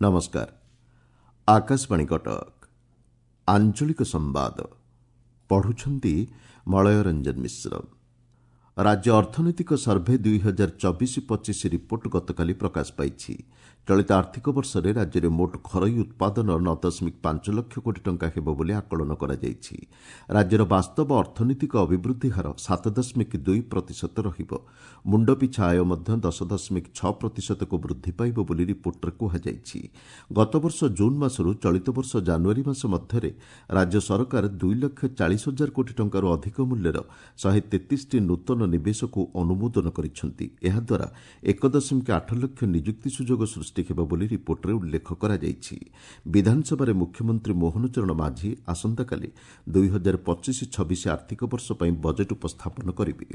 ନମସ୍କାର, ଆକାଶବାଣୀ କଟକ। ଆଞ୍ଚଳିକ ସମ୍ବାଦ ପଢ଼ୁଛନ୍ତି ମଳୟ ରଞ୍ଜନ ମିଶ୍ର। ରାଜ୍ୟ ଅର୍ଥନୈତିକ ସର୍ଭେ 2024-25 ରିପୋର୍ଟ ଗତକାଲି ପ୍ରକାଶ ପାଇଛି। ଚଳିତ ଆର୍ଥିକ ବର୍ଷରେ ରାଜ୍ୟରେ ମୋଟ ଘରୋଇ ଉତ୍ପାଦନ 9.5 ଲକ୍ଷ କୋଟି ଟଙ୍କା ହେବ ବୋଲି ଆକଳନ କରାଯାଇଛି। ରାଜ୍ୟର ବାସ୍ତବ ଅର୍ଥନୈତିକ ଅଭିବୃଦ୍ଧି ହାର 7.2 ପ୍ରତିଶତ ରହିବ। ମୁଣ୍ଡପିଛା ଆୟ ମଧ୍ୟ 10.6 ପ୍ରତିଶତକୁ ବୃଦ୍ଧି ପାଇବ ବୋଲି ରିପୋର୍ଟରେ କୁହାଯାଇଛି। ଗତବର୍ଷ ଜୁନ୍ ମାସରୁ ଚଳିତ ବର୍ଷ ଜାନୁଆରୀ ମାସ ମଧ୍ୟରେ ରାଜ୍ୟ ସରକାର 2 ଲକ୍ଷ 40 ହଜାର କୋଟି ଟଙ୍କାରୁ ଅଧିକ ମୂଲ୍ୟର 133ଟି ନୂତନ ନିବେଶକୁ ଅନୁମୋଦନ କରିଛନ୍ତି। ଏହାଦ୍ୱାରା 1.8 ଲକ୍ଷ ନିଯୁକ୍ତି ସୁଯୋଗ ସୃଷ୍ଟି ହେବ ବୋଲି ରିପୋର୍ଟରେ ଉଲ୍ଲେଖ କରାଯାଇଛି। ବିଧାନସଭାରେ ମୁଖ୍ୟମନ୍ତ୍ରୀ ମୋହନ ଚରଣ ମାଝୀ ଆସନ୍ତାକାଲି 2025-26 ଆର୍ଥିକ ବର୍ଷ ପାଇଁ ବଜେଟ୍ ଉପସ୍ଥାପନ କରିବେ।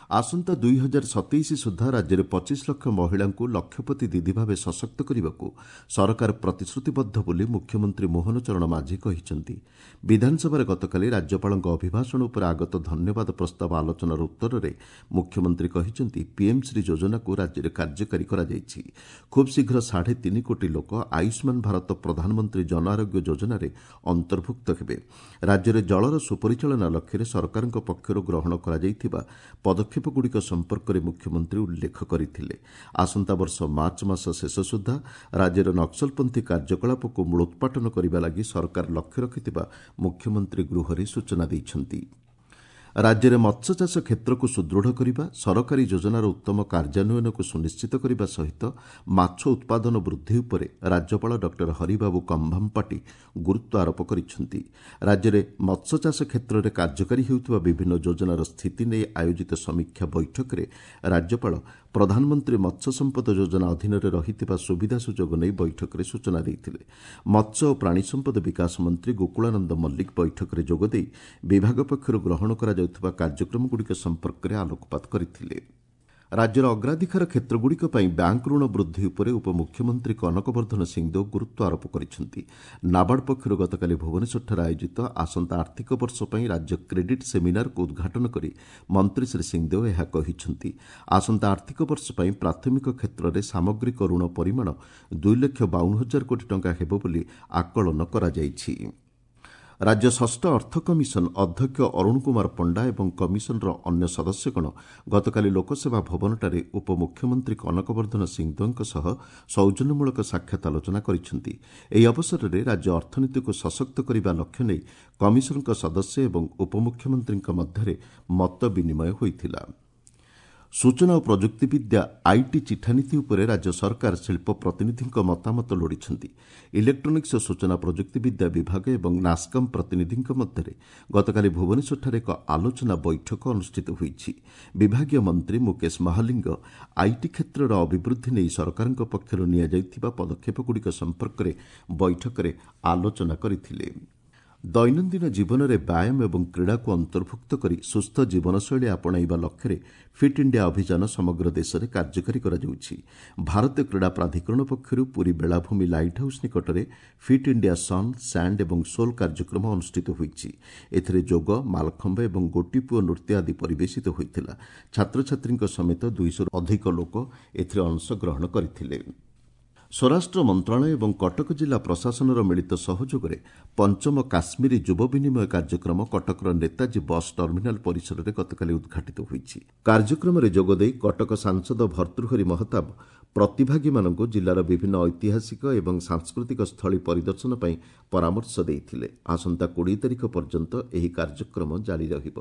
ଆସନ୍ତା 2027 ସୁଦ୍ଧା ରାଜ୍ୟରେ 25 ଲକ୍ଷ ମହିଳାଙ୍କୁ ଲକ୍ଷପତି ଦିଦି ଭାବେ ସଶକ୍ତ କରିବାକୁ ସରକାର ପ୍ରତିଶ୍ରୁତିବଦ୍ଧ ବୋଲି ମୁଖ୍ୟମନ୍ତ୍ରୀ ମୋହନ ଚରଣ ମାଝୀ କହିଛନ୍ତି। ବିଧାନସଭାରେ ଗତକାଲି ରାଜ୍ୟପାଳଙ୍କ ଅଭିଭାଷଣ ଉପରେ ଆଗତ ଧନ୍ୟବାଦ ପ୍ରସ୍ତାବ ଆଲୋଚନାର ଉତ୍ତରରେ ମୁଖ୍ୟମନ୍ତ୍ରୀ କହିଛନ୍ତି, ପିଏମ୍ ଶ୍ରୀ ଯୋଜନାକୁ ରାଜ୍ୟରେ କାର୍ଯ୍ୟକାରୀ କରାଯାଇଛି। ଖୁବ୍ ଶୀଘ୍ର 3.5 କୋଟି ଲୋକ ଆୟୁଷ୍ମାନ ଭାରତ ପ୍ରଧାନମନ୍ତ୍ରୀ ଜନ ଆରୋଗ୍ୟ ଯୋଜନାରେ ଅନ୍ତର୍ଭୁକ୍ତ ହେବେ। ରାଜ୍ୟରେ ଜଳର ସୁପରିଚାଳନା ଲକ୍ଷ୍ୟରେ ସରକାରଙ୍କ ପକ୍ଷରୁ ଗ୍ରହଣ କରାଯାଇଥିବା ପଦକ୍ଷେପଗୁଡ଼ିକ ସମ୍ପର୍କରେ ମୁଖ୍ୟମନ୍ତ୍ରୀ ଉଲ୍ଲେଖ କରିଥିଲେ। ଆସନ୍ତା ବର୍ଷ ମାର୍ଚ୍ଚ ମାସ ଶେଷ ସୁଦ୍ଧା ରାଜ୍ୟରେ ନକ୍ସଲପନ୍ଥୀ କାର୍ଯ୍ୟକଳାପକୁ ମୂଳୋତ୍ପାଟନ କରିବା ଲାଗି ସରକାର ଲକ୍ଷ୍ୟ ରଖିଥିବା ମୁଖ୍ୟମନ୍ତ୍ରୀ ଗୃହରେ ସୂଚନା ଦେଇଛନ୍ତି। ରାଜ୍ୟରେ ମତ୍ସ୍ୟଚାଷ କ୍ଷେତ୍ରକୁ ସୁଦୃଢ଼ କରିବା, ସରକାରୀ ଯୋଜନାର ଉତ୍ତମ କାର୍ଯ୍ୟାନ୍ୱୟନକୁ ସୁନିଶ୍ଚିତ କରିବା ସହିତ ମାଛ ଉତ୍ପାଦନ ବୃଦ୍ଧି ଉପରେ ରାଜ୍ୟପାଳ ଡକ୍ଟର ହରିବାବୁ କମ୍ଭମପାଟି ଗୁରୁତ୍ୱ ଆରୋପ କରିଛନ୍ତି। ରାଜ୍ୟରେ ମତ୍ସ୍ୟଚାଷ କ୍ଷେତ୍ରରେ କାର୍ଯ୍ୟକାରୀ ହେଉଥିବା ବିଭିନ୍ନ ଯୋଜନାର ସ୍ଥିତି ନେଇ ଆୟୋଜିତ ସମୀକ୍ଷା ବୈଠକରେ ରାଜ୍ୟପାଳ ପ୍ରଧାନମନ୍ତ୍ରୀ ମତ୍ସ୍ୟ ସମ୍ପଦ ଯୋଜନା ଅଧୀନରେ ରହିଥିବା ସୁବିଧା ସୁଯୋଗ ନେଇ ବୈଠକରେ ସୂଚନା ଦେଇଥିଲେ। ମତ୍ସ୍ୟ ଓ ପ୍ରାଣୀ ସମ୍ପଦ ବିକାଶ ମନ୍ତ୍ରୀ ଗୋକୁଳାନନ୍ଦ ମଲ୍ଲିକ ବୈଠକରେ ଯୋଗଦେଇ ବିଭାଗ ପକ୍ଷରୁ ଗ୍ରହଣ କରାଯାଉଥିବା କାର୍ଯ୍ୟକ୍ରମଗୁଡ଼ିକ ସମ୍ପର୍କରେ ଆଲୋକପାତ କରିଥିଲେ। ରାଜ୍ୟର ଅଗ୍ରାଧିକାର କ୍ଷେତ୍ରଗୁଡ଼ିକ ପାଇଁ ବ୍ୟାଙ୍କ ଋଣ ବୃଦ୍ଧି ଉପରେ ଉପମୁଖ୍ୟମନ୍ତ୍ରୀ କନକବର୍ଦ୍ଧନ ସିଂଦେଓ ଗୁରୁତ୍ୱ ଆରୋପ କରିଛନ୍ତି। ନାବାର୍ଡ ପକ୍ଷରୁ ଗତକାଲି ଭୁବନେଶ୍ୱରଠାରେ ଆୟୋଜିତ ଆସନ୍ତା ଆର୍ଥିକ ବର୍ଷ ପାଇଁ ରାଜ୍ୟ କ୍ରେଡିଟ୍ ସେମିନାରକୁ ଉଦ୍ଘାଟନ କରି ମନ୍ତ୍ରୀ ଶ୍ରୀ ସିଂଦେଓ ଏହା କହିଛନ୍ତି। ଆସନ୍ତା ଆର୍ଥିକ ବର୍ଷ ପାଇଁ ପ୍ରାଥମିକ କ୍ଷେତ୍ରରେ ସାମଗ୍ରିକ ଋଣ ପରିମାଣ 2 ଲକ୍ଷ 52 ହଜାର କୋଟି ଟଙ୍କା ହେବ ବୋଲି ଆକଳନ କରାଯାଇଛି। ରାଜ୍ୟ ଷଷ୍ଠ ଅର୍ଥ କମିଶନ ଅଧ୍ୟକ୍ଷ ଅରୁଣ କୁମାର ପଣ୍ଡା ଏବଂ କମିଶନର ଅନ୍ୟ ସଦସ୍ୟଗଣ ଗତକାଲି ଲୋକସେବା ଭବନଠାରେ ଉପମୁଖ୍ୟମନ୍ତ୍ରୀ କନକବର୍ଦ୍ଧନ ସିଂଦେଓଙ୍କ ସହ ସୌଜନ୍ୟମୂଳକ ସାକ୍ଷାତ ଆଲୋଚନା କରିଛନ୍ତି। ଏହି ଅବସରରେ ରାଜ୍ୟ ଅର୍ଥନୀତିକୁ ସଶକ୍ତ କରିବା ଲକ୍ଷ୍ୟ ନେଇ କମିଶନଙ୍କ ସଦସ୍ୟ ଏବଂ ଉପମୁଖ୍ୟମନ୍ତ୍ରୀଙ୍କ ମଧ୍ୟରେ ମତ ବିନିମୟ ହୋଇଥିଲା। ସୂଚନା ଓ ପ୍ରଯୁକ୍ତିବିଦ୍ୟା IT ଚିଠାନୀତି ଉପରେ ରାଜ୍ୟ ସରକାର ଶିଳ୍ପ ପ୍ରତିନିଧିଙ୍କ ମତାମତ ଲୋଡ଼ିଛନ୍ତି। ଇଲେକ୍ଟ୍ରୋନିକ୍ସ ଓ ସୂଚନା ପ୍ରଯୁକ୍ତିବିଦ୍ୟା ବିଭାଗ ଏବଂ ନାସ୍କମ୍ ପ୍ରତିନିଧିଙ୍କ ମଧ୍ୟରେ ଗତକାଲି ଭୁବନେଶ୍ୱରଠାରେ ଏକ ଆଲୋଚନା ବୈଠକ ଅନୁଷ୍ଠିତ ହୋଇଛି। ବିଭାଗୀୟ ମନ୍ତ୍ରୀ ମୁକେଶ ମହାଲିଙ୍ଗ IT କ୍ଷେତ୍ରର ଅଭିବୃଦ୍ଧି ନେଇ ସରକାରଙ୍କ ପକ୍ଷରୁ ନିଆଯାଇଥିବା ପଦକ୍ଷେପଗୁଡ଼ିକ ସମ୍ପର୍କରେ ବୈଠକରେ ଆଲୋଚନା କରିଥିଲେ। ଦୈନନ୍ଦିନ ଜୀବନରେ ବ୍ୟାୟାମ ଏବଂ କ୍ରୀଡ଼ାକୁ ଅନ୍ତର୍ଭୁକ୍ତ କରି ସୁସ୍ଥ ଜୀବନଶୈଳୀ ଆପଣାଇବା ଲକ୍ଷ୍ୟରେ ଫିଟ୍ ଇଣ୍ଡିଆ ଅଭିଯାନ ସମଗ୍ର ଦେଶରେ କାର୍ଯ୍ୟକାରୀ କରାଯାଉଛି। ଭାରତୀୟ କ୍ରୀଡ଼ା ପ୍ରାଧିକରଣ ପକ୍ଷରୁ ପୁରୀ ବେଳାଭୂମି ଲାଇଟ୍ ହାଉସ୍ ନିକଟରେ ଫିଟ୍ ଇଣ୍ଡିଆ ସନ୍, ସ୍ୟାଣ୍ଡ ଏବଂ ସୋଲ୍ କାର୍ଯ୍ୟକ୍ରମ ଅନୁଷ୍ଠିତ ହୋଇଛି। ଏଥିରେ ଯୋଗ, ମାଲଖମ୍ବ ଏବଂ ଗୋଟିପୁଅ ନୃତ୍ୟ ଆଦି ପରିବେଶିତ ହୋଇଥିଲା। ଛାତ୍ରଛାତ୍ରୀଙ୍କ ସମେତ 200ରୁ ଅଧିକ ଲୋକ ଏଥିରେ ଅଂଶଗ୍ରହଣ କରିଥିଲେ। ସ୍ୱରାଷ୍ଟ୍ର ମନ୍ତ୍ରଣାଳୟ ଏବଂ କଟକ ଜିଲ୍ଲା ପ୍ରଶାସନର ମିଳିତ ସହଯୋଗରେ ପଞ୍ଚମ କାଶ୍ମୀରୀ ଯୁବ ବିନିମୟ କାର୍ଯ୍ୟକ୍ରମ କଟକର ନେତାଜୀ ବସ୍ ଟର୍ମିନାଲ ପରିସରରେ ଗତକାଲି ଉଦ୍ଘାଟିତ ହୋଇଛି। କାର୍ଯ୍ୟକ୍ରମରେ ଯୋଗଦେଇ କଟକ ସାଂସଦ ଭର୍ତ୍ତୃହରି ମହତାବ ପ୍ରତିଭାଗୀମାନଙ୍କୁ ଜିଲ୍ଲାର ବିଭିନ୍ନ ଐତିହାସିକ ଏବଂ ସାଂସ୍କୃତିକ ସ୍ଥଳୀ ପରିଦର୍ଶନ ପାଇଁ ପରାମର୍ଶ ଦେଇଥିଲେ। ଆସନ୍ତା 20 ତାରିଖ ପର୍ଯ୍ୟନ୍ତ ଏହି କାର୍ଯ୍ୟକ୍ରମ ଜାରି ରହିବ।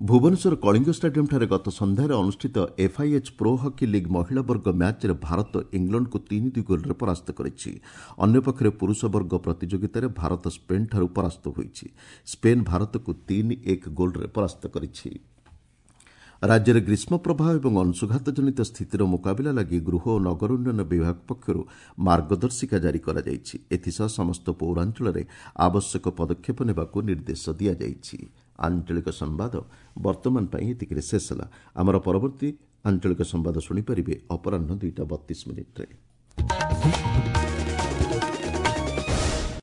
ଭୁବନେଶ୍ୱର କଳିଙ୍ଗ ଷ୍ଟାଡିୟମ୍ଠାରେ ଗତ ସନ୍ଧ୍ୟାରେ ଅନୁଷ୍ଠିତ ଏଫ୍ଆଇଏଚ୍ ପ୍ରୋ ହକି ଲିଗ୍ ମହିଳା ବର୍ଗ ମ୍ୟାଚ୍ରେ ଭାରତ ଇଂଲଣ୍ଡକୁ 3-2 ଗୋଲ୍ରେ ପରାସ୍ତ କରିଛି। ଅନ୍ୟପକ୍ଷରେ ପୁରୁଷ ବର୍ଗ ପ୍ରତିଯୋଗିତାରେ ଭାରତ ସ୍ପେନ୍ଠାରୁ ପରାସ୍ତ ହୋଇଛି। ସ୍ପେନ୍ ଭାରତକୁ 3-1 ଗୋଲ୍ରେ ପରାସ୍ତ କରିଛି। ରାଜ୍ୟରେ ଗ୍ରୀଷ୍ମ ପ୍ରବାହ ଏବଂ ଅଂଶୁଘାତଜନିତ ସ୍ଥିତିର ମୁକାବିଲା ଲାଗି ଗୃହ ଓ ନଗର ଉନ୍ନୟନ ବିଭାଗ ପକ୍ଷରୁ ମାର୍ଗଦର୍ଶିକା ଜାରି କରାଯାଇଛି। ଏଥିସହ ସମସ୍ତ ପୌରାଞ୍ଚଳରେ ଆବଶ୍ୟକ ପଦକ୍ଷେପ ନେବାକୁ ନିର୍ଦ୍ଦେଶ ଦିଆଯାଇଛି। ଆଞ୍ଚଳିକ ସମ୍ବାଦ ବର୍ତ୍ତମାନ ପାଇଁ ଏତିକିରେ ଶେଷ ହେଲା। ଆମର ପରବର୍ତ୍ତୀ ଆଞ୍ଚଳିକ ସମ୍ବାଦ ଶୁଣିପାରିବେ ଅପରାହ୍ନ 2ଟା 32 ମିନିଟ୍ରେ।